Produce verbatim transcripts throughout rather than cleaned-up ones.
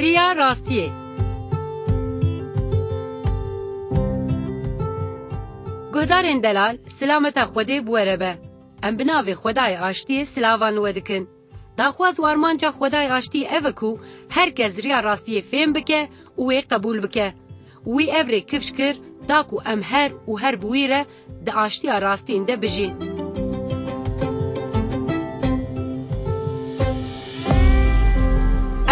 Riya rastiyê. Guhdarên delal, silameta Xwedê bi we re be. Em bi navê Xwedayê Aştiyê silavan li we dikin. Daxwaz û armanca Xwedayê Aştiyê ev e ku her kes riya rastiyê fêm bike û wê qebûl bike. Wî ev rê kifş kir, da ku em her û her bi wî re di aştiya rastîn de bijîn.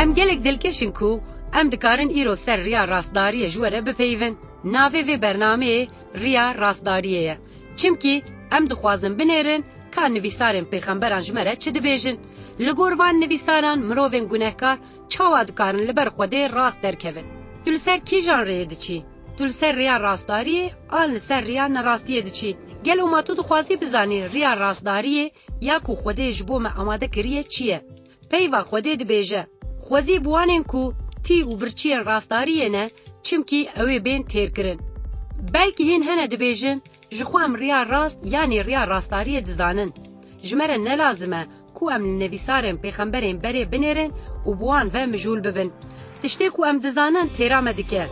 Em gelek dilkeş in ku em dikarin îro ser riya rastdariyê ji we re bipeyivin. Navê vê bernameyê Riya Rastdariyê ye. Çimkî em dixwazin binêrin ka nivîsarên pêxemberan ji me re çi dibêjin. Li gor van nivîsaran mirovên gunehkar çawa dikarin li ber Xwedê rast derkevin? Tu li ser kîjan rêyê diçî? Tu li ser rêya rastdariyê an li ser rêya nerastiyê diçî? Gelo ma tu dixwazî bizanî rêya rastdariyê ya ku Xwedê ji bo me amade kiriye çi ye? Peyva Xwedê dibêje, Xwezî bi wanên ku tî û birçiyên rastdariyê ne, çimkî ew ê bên têrkirin. Belkî hîn hene dibêjin, Ji xwe em riya rast yanî riya rastdariyê dizanin. Ji me re ne lazim e ku em li nivîsarên pêxemberên berê binêrin û bi wan ve mijûl bibin. Tiştê ku em dizanin têra me dike.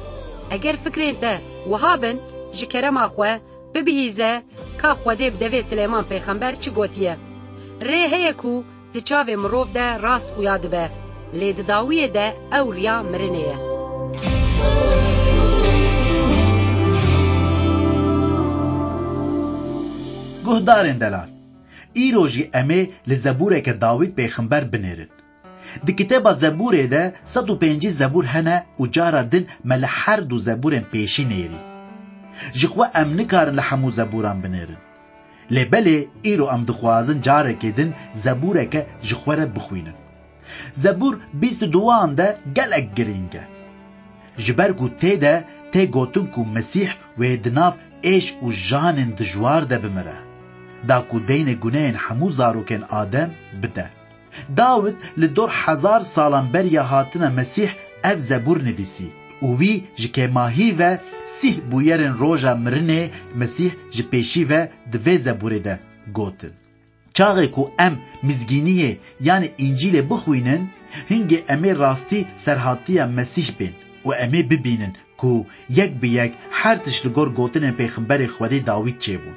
Eger fikrên te wiha bin, ji kerema xwe bibihîze ka Xwedê bi devê Silêman pêxember çi gotiye. Rê heye ku di çavê mirov de rast xuya dibe, lê di dawiyê de ew riya mirinê ye. Guhdarên delal, îro jî em ê li zebûreke Dawîd pêxember binêrin. Di kitêba Zebûrê de sed û pêncî zebûr hene û cara din me li her du zebûrên pêşî nêrî. Ji xwe em nikarin li hemû zebûran binêrin. Lê belê îro em dixwazin carekê din zebûreke ji xwe re bixwînin. Zebûr bîst û duan de gelek girîng e. Ji ber ku tê de tê gotin ku Mesîh wê di nav êş û janên dijwar de bimire, da ku deynê gunehên hemû zarokên Adem bide. Dawid li dor hezar salan beriya hatina Mesîh ev zebûr nivîsî û wî ji kêmahî ve sîh bûyerên roja mirinê Mesîh ji pêşî ve di vê zebûrê de gotin. Çaxê ku em Mizgîniyê, yanî Încîlê bixwînin, hingê em ê rastî serhatiya Mesîh bên û em ê bibînin ku yek bi yek her tişt li gor gotinên pêxemberê Xwedê Dawîd çêbûn.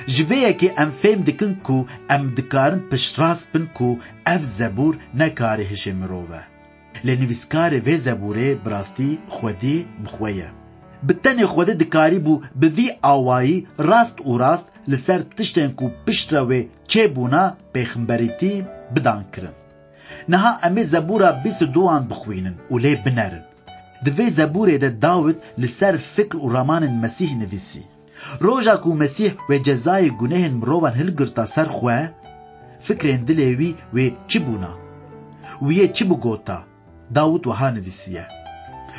Ji vê yekê em fêm dikin ku em dikarin piştrast bin ku ev zebûr ne karê hişê mirov e. Lê nivîskarê vê zebûrê bi rastî Xwedî bi xwe ye. Bi tenê Xwedê dikarîbû bi vî awayî rast û rast li ser tiştên ku piştre wê çêbûna pêxemberîtî bidan kirin. Niha em ê zebûra bîst û duan bixwînin û lê binerin. Di vê zebûrê de Dawid li ser fikr û ramanên Mesîh nivîsî. Roja ku Mesîh wê cezayê gunehên mirovan hilgirta ser xwe, fikrên dilê wî wê çi bûna? Wî yê çi bigota? Dawid wiha nivîsiye,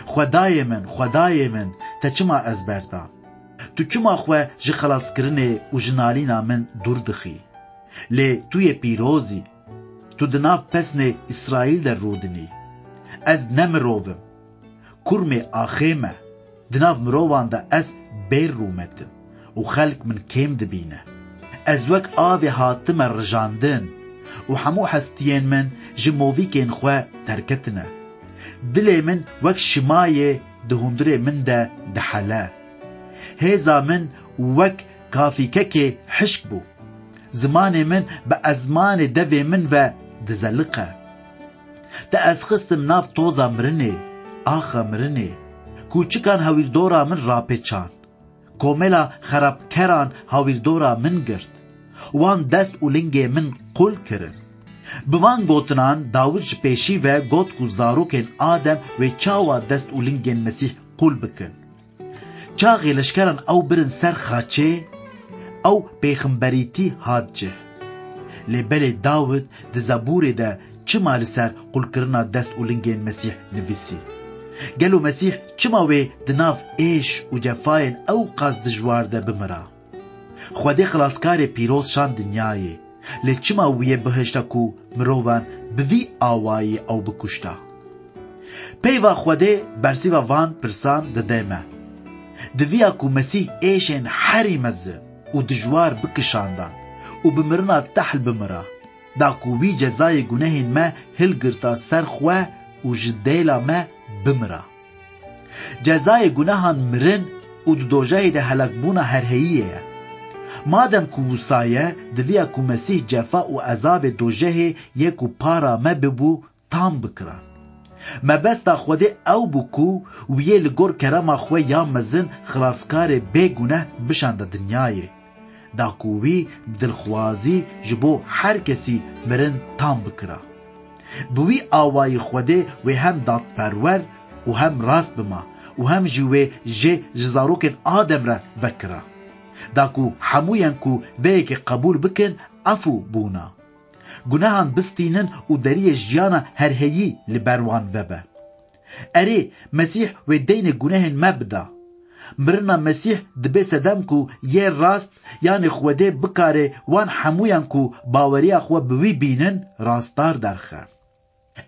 Xwedayê min, Xwedayê min, te çima ez berda? Tu çima xwe ji xelaskirinê û ji nalîna min dûr dixî? Lê tu yê pîroz î, tu di nav pesnê Îsraîl de rûdinî. Ez ne mirov im, kurmê axê me. Di nav mirovan de ez bêr rûmet im û xelk min kêm dibîne. Ez wek avê hatime rijandin û hemû hestiyên min ji movîkên xwe derketine. Dilê min wek şimayê di hundirê min de dihele. Hêza min wek kafîkekê hişk bû. Zimanê min bi ezmanê devê min ve dizeliqe. Te ez xistim nav toza mirinê, axa mirinê. Kûçikan hewîrdora min rapêçan. Komela xerabkeran hawîrdora min girt. Wan dest û lingê min qul kirin. Bi van gotinan Dawid ji pêşî ve got ku zarokên Adem wê çawa dest û lingên Mesîh qul bikin. Çaxê leşkeran ew birin ser xaçê, ew pêxemberîtî hat cih. Lê belê Dawid di Zebûrê de çima li ser qulkirina dest û lingên Mesîh nivîsî? Gelo Mesîh çima wê di nav êş û cefayên ew qas dijwar de bimira? Xwedê xilaskarê pîroz şand dinyayê, lê çima wî yê bihişta ku mirovan bi vî awayî ew bikuşta? Peyva Xwedê bersiva van pirsan dide me. Diviya ku Mesîh êşên herî mezin û dijwar bikişandan û bi mirina tehl bimira, da ku wî cezayê gunehên me hilgirta ser xwe û ji dêla me bimira. Cezayê gunehan mirin û di dojehê de helakbûna herheyiyê ye. Madem ku wisa ye, diviya ku Mesîh cefa û ezabê dojehê yê ku para me bibû, tam bikira. Mebesta Xwedê ew bû ku wiyê li gor kerema xwe ya mezin xilaskarê bê guneh bişanda dinyayê, da ku wî bi dilxwazî ji bo her kesî mirin tam bikira. Bi wî awayî Xwedê wê hem dadperwer û hem rast bima û hem jî wê jê ji zarokên Adem re vekira. Da ku hemûyan ku vê yekê qebûl bikin, efû bûna. Gunehan bistînin û deriyê jiyana herheyî li ber wan vebe. Erê, Mesîh wê deynê gunehên me bida. Mirina Mesîh dibe sedem ku yê rast, yanê Xwedê bikare wan hemûyan ku baweriya xwe bi wî bînin, rastdar derxe.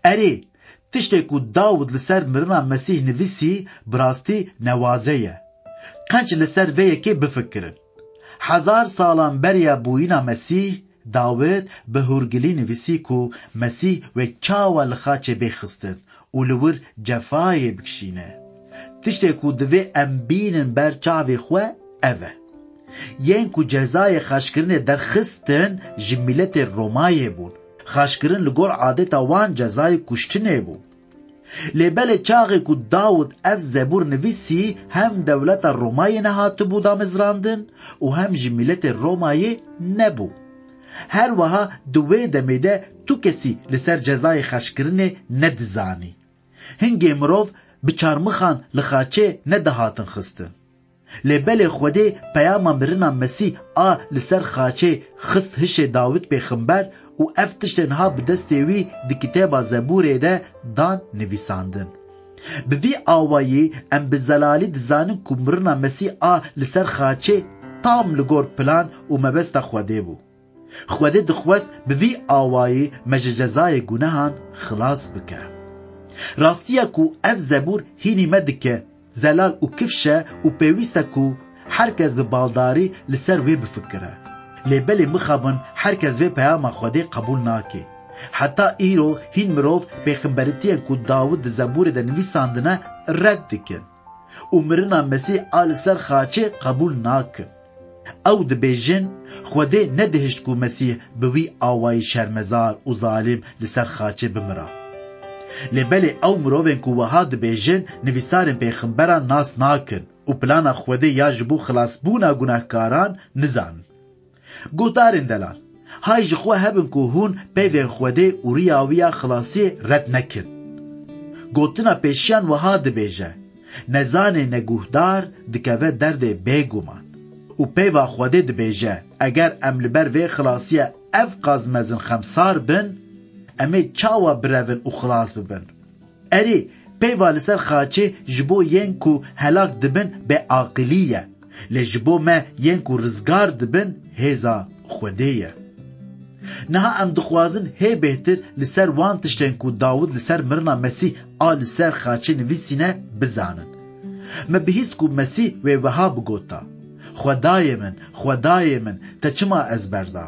Erê, tiştê ku Dawid li ser mirina Mesîh nivîsî, bi rastî newaze ye. Qenc li ser vê yekê bifikirin. Hezar salan beriya bûyîna Mesîh, Dawid bi hûrgilî nivîsî ku Mesîh wê çawa li xaçê bê xistin û li wir cefayê bikişîne. Tiştê ku divê em bînin ber çavê xwe ev e. Yên ku cezayê xaçkirinê derxistin ji mîletê Romayê bûn. Xaçkirin li gor adeta wan cezayê kuştinê bû. Lê belê çaxê ku Dawid ev zebûr nivîsî, hem dewleta Romayê nehatibû damezrandin û hem jî mîletê Romayê nebû. Her wiha di wê demê de tu kesî li ser cezayê xaçkirinê nedizanî. Hingê mirov bi çarmixan li xaçê nedihatin xistin. Lê belê Xwedê peyama mirina Mesîh a li ser xaçê xist hişê Dawid pêxember û ev tiştên ha bi destê wî di kitêba Zebûrê de dan nivîsandin. Bi vî awayî em bi zelalî dizanin ku mirina Mesîh a li ser xaçê tam li gor plan û mebesta Xwedê bû. Xwedê dixwest bi vî awayî me ji cezayê gunehan xilas bike. Rastiya ku ev zebûr hînî me dike zelal û kifş e û pêwîst e ku her kes bi baldarî li ser wê bifikire. Lê belê mixabin her kes vê peyama Xwedê qebûl nake. Heta îro hîn mirov pêxemberitiyên ku Dawid di Zebûrê de nivîsandine red dikin û mirina Mesîh a li ser xaçê qebûl nakin. Ew dibêjin, Xwedê nedihişt ku Mesîh bi wî awayî şermezar û zalim li ser xaçê bimira. Lê belê ew mirovên ku wiha dibêjin, nivîsarên pêxemberan nas nakin û plana Xwedê ya ji bo xilasbûna gunehkaran nizanin. Guhdarên delal, hay ji xwe hebin ku hûn peyvên Xwedê û riya wî ya xilasiyê red nekin. Gotina pêşiyan wiha dibêje, nezanê neguhdar dikeve derdê bêguman. Û peyva Xwedê dibêje, eger em li ber vê xilasiye ev qas mezin xemsar bin, em ê çawa birevin û xilas bibin? Erê, peyva li ser xaçê ji bo yên ku helak dibin bêaqilî ye. Lê ji bo me yên ku rizgar dibin hêza Xwedê ye. Niha em dixwazin hê bêhtir li ser wan tiştên ku Dawid li ser mirina Mesîh a li ser xaçê nivîsîne bizanin. Me bihîst ku Mesîh wê wiha bigota, Xwedayê min, Xwedayê min, te çima ez berda?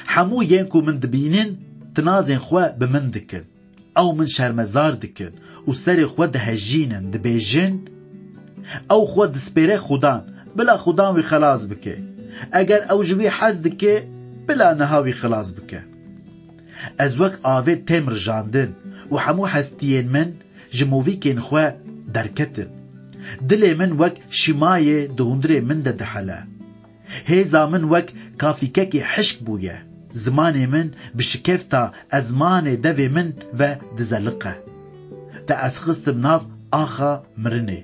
Hemû yên ku min dibînin, tinazên xwe bi min dikin. Ew min şermezar dikin û serê xwe dihejînin, dibêjin, ew xwe dispêre Xudan, bila Xudan wî xelas bike. Eger ew ji wî hez dike, bila niha wî xilas bike. Ez wek avê têm rijandin û hemû hestiyên min ji movîkên xwe derketin. Dilê min wek şîmayê di hundirê min de dihele. Hêza min wek kafîkekî hişk bûye. Zimanê min bi şikefta ezmanê devê min ve dizeliqe. Te ez xistim nav axa mirinê,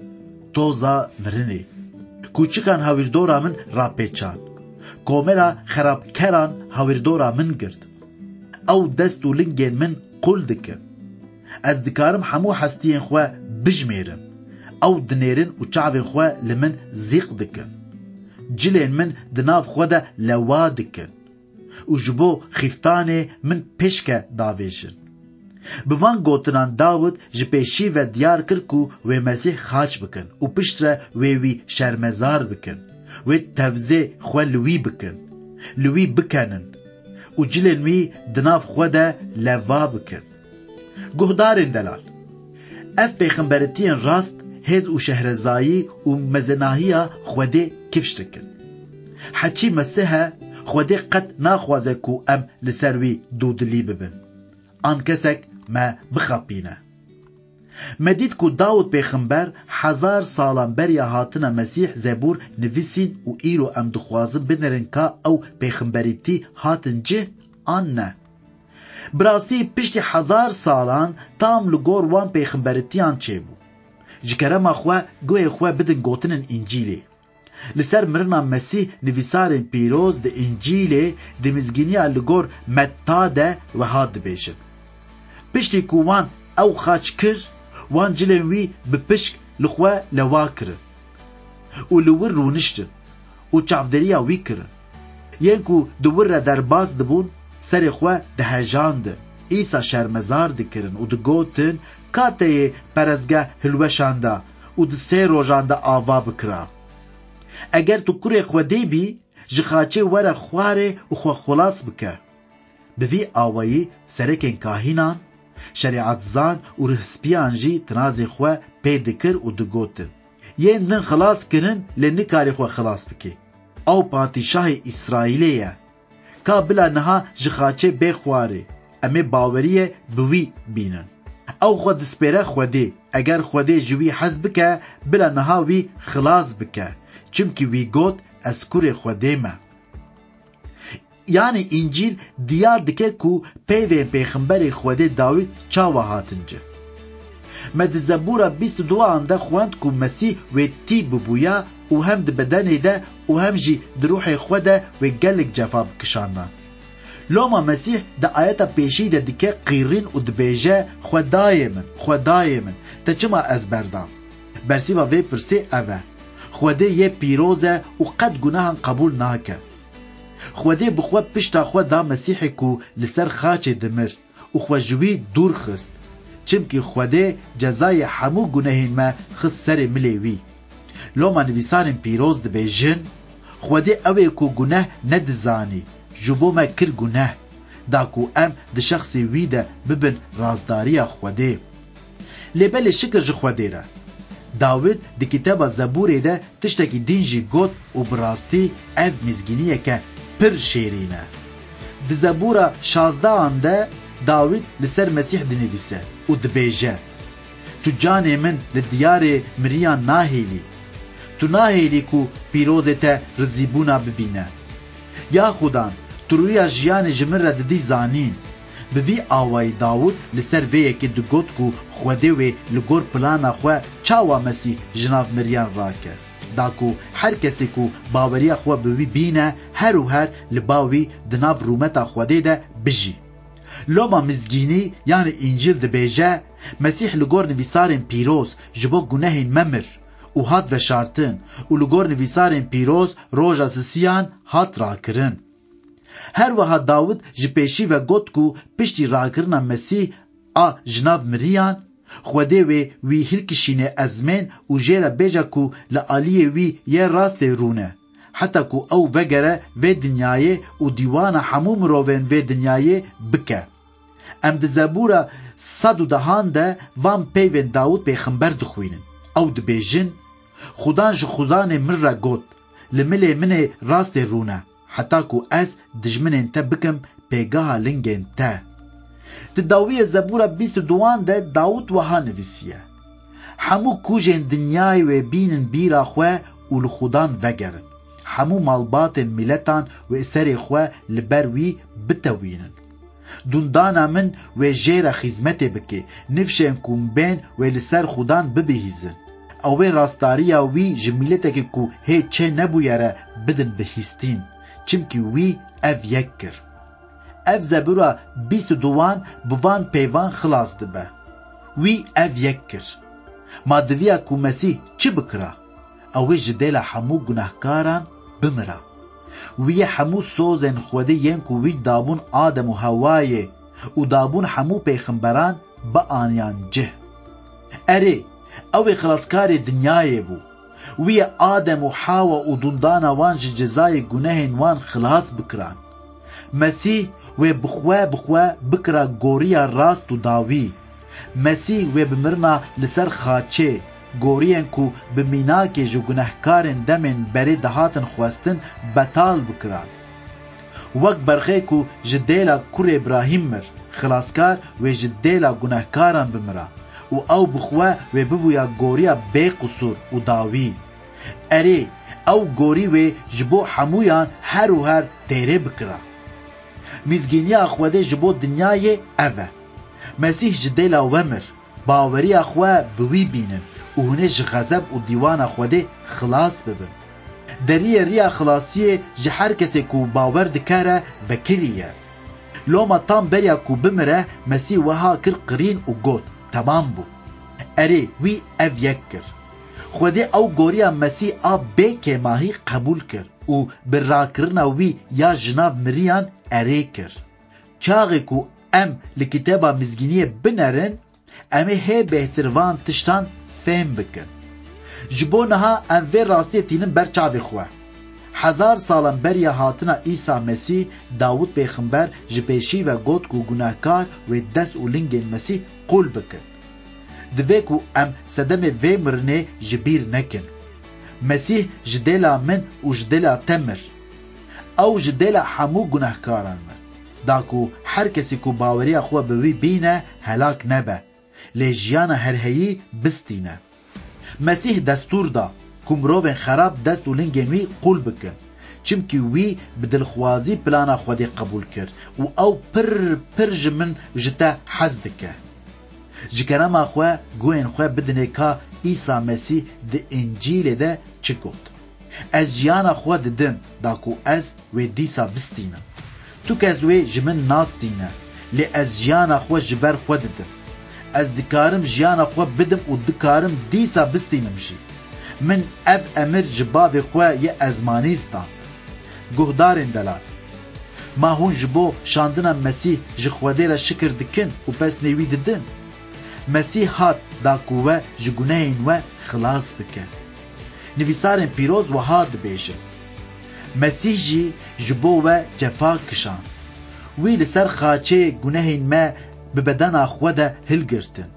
toza mirinê. Kûçikan hawîrdora min rapêçan. Komela xerabkeran hawîrdora min girt. Ew dest û lingên min qul dikin. Ez dikarim hemû hestiyên xwe bijmêrim. Ew dinêrin û çavên xwe li min zîq dikin. Cilên min di nav xwe de lewa dikin û ji bo xîftanê min pêşke davêjin. Bi van gotinan Dawid ji pêşî ve diyar kir ku wê Mesîh xaç bikin û piştre wê wî şermezar bikin, wê tevzê xwe li wî bikin, li wî bikenin û cilên wî di nav xwe de leva bikin. Guhdarên delal, Ev pêxemberitiyên rast hêz û şehrezayî û mezenahiya Xwedê kifş dikin. Heçî Mesih e, Xwedê qet naxwaze ku em li ser wî dûdilî bibin. An kesek me bixapîne. Me dît ku Dawid pêxember hezar salan beriya hatina Mesîh zebûr nivîsîn û îro em dixwazin binêrin ka ew pêxemberîtî hatin cih an ne. Bi rastî piştî hezar salan tam li gor wan pêxemberîtiyan çêbû. Ji kerema xwe guhê xwe bidin gotinên Încîlê. Li ser mirina Mesîh nivîsarên pîroz di Încîlê di mizgîniya li gor Metta de weha dibêjin: Piştî ku wan ew xaç kir, wan cilên wî bi pişk li xwe lewa kirin û li wir rûniştin û çavdêriya wî kirin. Yên ku di wir re derbas dibûn, serê xwe dihejandin, Îsa şermezar dikirin û digotin: Ka te yê perestgeh hilweşanda û di sê rojan de ava bikira? Eger tu kurê Xwedê bî, ji xaçê were xwarê û xwe xilas bike. Bi vî awayî serekên kahînan, şerîetzan û rihspiyan jî tinazê xwe pê dikir û digotin: Yên din xilas kirin, lê nikarî xwe xilas bike. Ew padîşahê Îsraîlê ye. Ka bila niha ji xaçê bê xwarê, em ê baweriyê bi wî bînin. Ew xwe dispêre Xwedê. Eger Xwedê ji wî hez bike, bila niha wî xilas bike. Çimkî wî got: Ez kurê Xwedê me. Yanî Încîl diyar dike ku peyvên pêxemberê Xwedê Dawîd çawa hatin cih. Me di Zebûra bîst û duan de xwend ku Mesîh wê tî bibûya û hem di bedenê de û hem jî di ruhê xwe de wê gelek cefa bikişandan. Loma Mesîh di ayeta pêşî de dike qîrîn û dibêje: Xwedayê min, Xwedayê min, te çima ez berdam? Bersîva vê pirsê ev e: Xwedê yê pîroz e û qet gunehan qebûl nake. Xwedê bi xwe pişta xwe da Mesîhê ku li ser xaçê dimir û xwe ji wî dûr xist. Çimkî Xwedê cezayê hemû gunehên me xist serê milê wî. Loma nivîsarên pîroz dibêjin: Xwedê ew ê ku guneh nedizanî, ji bo me kir guneh, da ku em di şexsê wî de bibin razdariya Xwedê. Lê belê şikir ji Xwedê re. Dawid di kitêba Zebûrê de tiştekî din jî got û bi rastî ev mizgîniyeke pir şêrîn e. Di Zebûra şazdehan de Dawid li ser Mesîh dinivîse û dibêje: Tu canê min li diyarê miriyan nahêlî. Tu nahêlî ku pîrozê te rizîbûna bibîne. Ya Xudan, tu rûya jiyanê ji min re didî zanîn. Bi vî awayî Dawûd li ser vê yekê digot ku Xwedê wê li gor plana xwe çawa Mesîh ji nav miriyan rake, da ku her kesê ku baweriya xwe bi wî bîne, her û her li ba wî di nav rûmeta Xwedê de bijî. Loma mizgînî, yanî Încîl dibêje, Mesîh li gor nivîsarên pîroz ji bo gunehên me mir û hat veşartin û li gor nivîsarên pîroz roja sisiyan hat rakirin. Her wiha Dawid ji pêşî ve got ku piştî rakirina Mesîh a ji nav miriyan, Xwedê wê wî hilkişîne ezmên û jê re bêje ku li aliyê wî yê rastê rûne, heta ku ew vegere vê dinyayê û dîwana hemû mirovên vê dinyayê bike. Em di Zebûra sed û dehan de van peyvên Dawûd pêxember dixwînin. Ew dibêjin: Xudan ji xudanê min re got, Li milê min ê rastê rûne, heta ku ez dijminên te bikim pêgeha lingên te. Di dawiyê Zebûra bîst û duan de Dawûd wiha nivîsiye: Hemû kûjên dinyayê wê bînin bîra xwe û li Xudan vegerin. Hemû malbatên miletan wê serê xwe li ber wî bitewînin. Dûndana min wê jê re xîzmetê bike, nifşên ku min bên wê li ser Xudan bibihîzin. Ew ê rastdariya wî ji miletekî ku hê çê nebûye re bidin bihîstîn, çimkî wî ev yek kir. Ev Zebûra bîst û duan bi van peyvan xilas dibe: Wî ev yek kir. Ma diviya ku Mesîh çi bikira? Ew ê ji dêla hemû gunehkaran bimira. Wî yê hemû sozên Xwedê yên ku wî dabûn Adem û Hewayê û dabûn hemû pêxemberan bianiyan cih. Erê, ew ê xilaskarê dinyayê bû. Wî yê Adem û Hawa û dûndana wan ji cezayê gunehên wan xilas bikiran. Mesîh wê bi xwe, bi xwe bikira goriya rast û dawî. Mesîh wê bi mirina li ser xaçê goriyên ku bi mînakê ji gunehkarên demên berê dihatin xwestin betal bikiran. Wek berxê ku ji dêla kurê Îbrahîm mir, xilaskar wê ji dêla gunehkaran bimira û ew bi xwe wê bibûya goriya bê qisûr û dawî. Erê, ew gorî wê ji bo hemûyan her û her têrê bikira. Mizgîniya Xwedê ji bo dinyayê ev e. Mesîh ji dêla we mir. Baweriya xwe bi wî bînin û hûn ê ji xezeb û dîwana Xwedê xilas bibin. Deriyê riya xilasiyê ji her kesê ku bawer dike re vekirî ye. Loma tam beriya ku bimire, Mesîh wiha kir qirîn û got, "Temam bû." Erê, wî ev yek kir. Xwedê ew goriya Mesîh a bê kêmahî qebûl kir û bi rakirina wî ya ji nav miriyan erê kir. Çaxê ku em li Kitêba Mizgîniyê binerin, em ê hê bêhtir van tiştan fêm bikin. Ji bo niha em vê rastiyê tînin ber çavê xwe. Hezar salan beriya hatina Îsa Mesîh, Dawûd pêxember ji pêşî ve got ku gunehkar wê dest û lingên Mesîh qul bikin. Divê ku em sedemê vê mirinê ji bîr nekin. Mesîh ji dêla min û ji dêla te mir. Ew ji dêla hemû gunehkaran mir. Da ku her kesî ku baweriya xwe bi wî bîne, helak nebe, lê jiyana herheyî bistîne. Mesîh destûr da ku mirovên xerab dest û lingên wî qul bikin. Çimkî wî bi dilxwazî plana Xwedê qebûl kir û ew pir pir ji min û ji te hez dike. Ji kerema xwe guhên xwe bidinê ka Îsa Mesîh di Încîlê de çi got. Ez jiyana xwe didim, da ku ez wê dîsa bistînim. Tu kes wê ji min nas tîne, lê ez jiyana xwe ji ber xwe didim. Ez dikarim jiyana xwe bidim û dikarim dîsa bistînim jî. Min ev emir ji bavê xwe yê ezmanî stand. Guhdarên delal. Ma hûn ji bo şandina Mesîh ji Xwedê re şikir dikin û pesnê wî didin? Mesîh hat da ku we ji gunehên we xilas bike. Nivîsarên pîroz wiha dibêjin, Mesîh jî ji bo we cefa kişand. Wî li ser xaçê gunehên me bi bedena xwe de hilgirtin.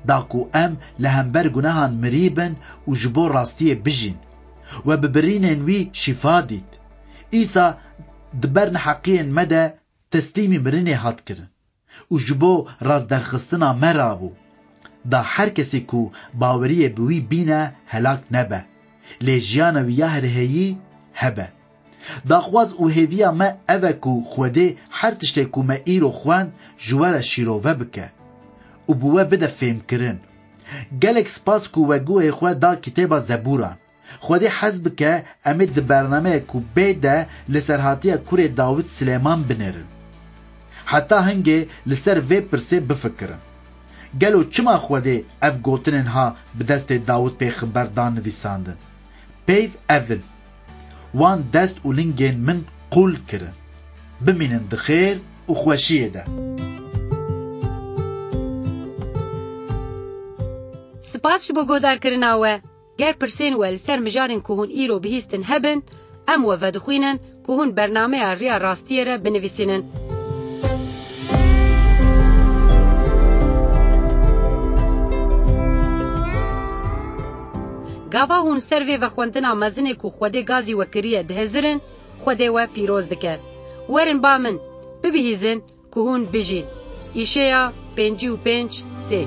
Da ku em li hember gunehan mirî bin û ji bo rastiyê bijîn. We bi birînên wî şîfa dît. Îsa di ber neheqiyên me de teslîmî mirinê hat kirin û ji bo rastderxistina me rabû. Da her kesê ku baweriyê bi wî bîne helak nebe, lê jiyana wî ya herheyî hebe. Daxwaz û hêviya me ev e ku Xwedê her tiştê ku me îro xwend ji we re şîrove bike û bi we bide fêmkirin. Gelek spas ku we guhê xwe da kitêba Zebûran. Xwedê hez bike em ê di bernameyek ku bê de li serhatiya kurê Dawid Silêman binêrin. Heta hingê li ser vê pirsê bifikirin. Gelo çima Xwedê ev gotinên ha bi destê Dawid pêxember dan nivîsandin? Peyv ev in: Wan dest û lingên min qul kirin. Bimînin di xêr û xweşiyê de. Spas ji bo guhdarkirina we. Ger pirsên we li ser mijarên ku hûn îro bihîstin hebin, em we vedixwînin ku hûn bernameya Riya Rastiyê re binivîsînin. Gava hûn ser vê vexwendina mezinê ku Xwedê gazî we kiriye dihizirin, Xwedê we pîroz dike. Werin ba min, bibihîzin ku hûn bijîn. Îşeya pêncî û pênc sê.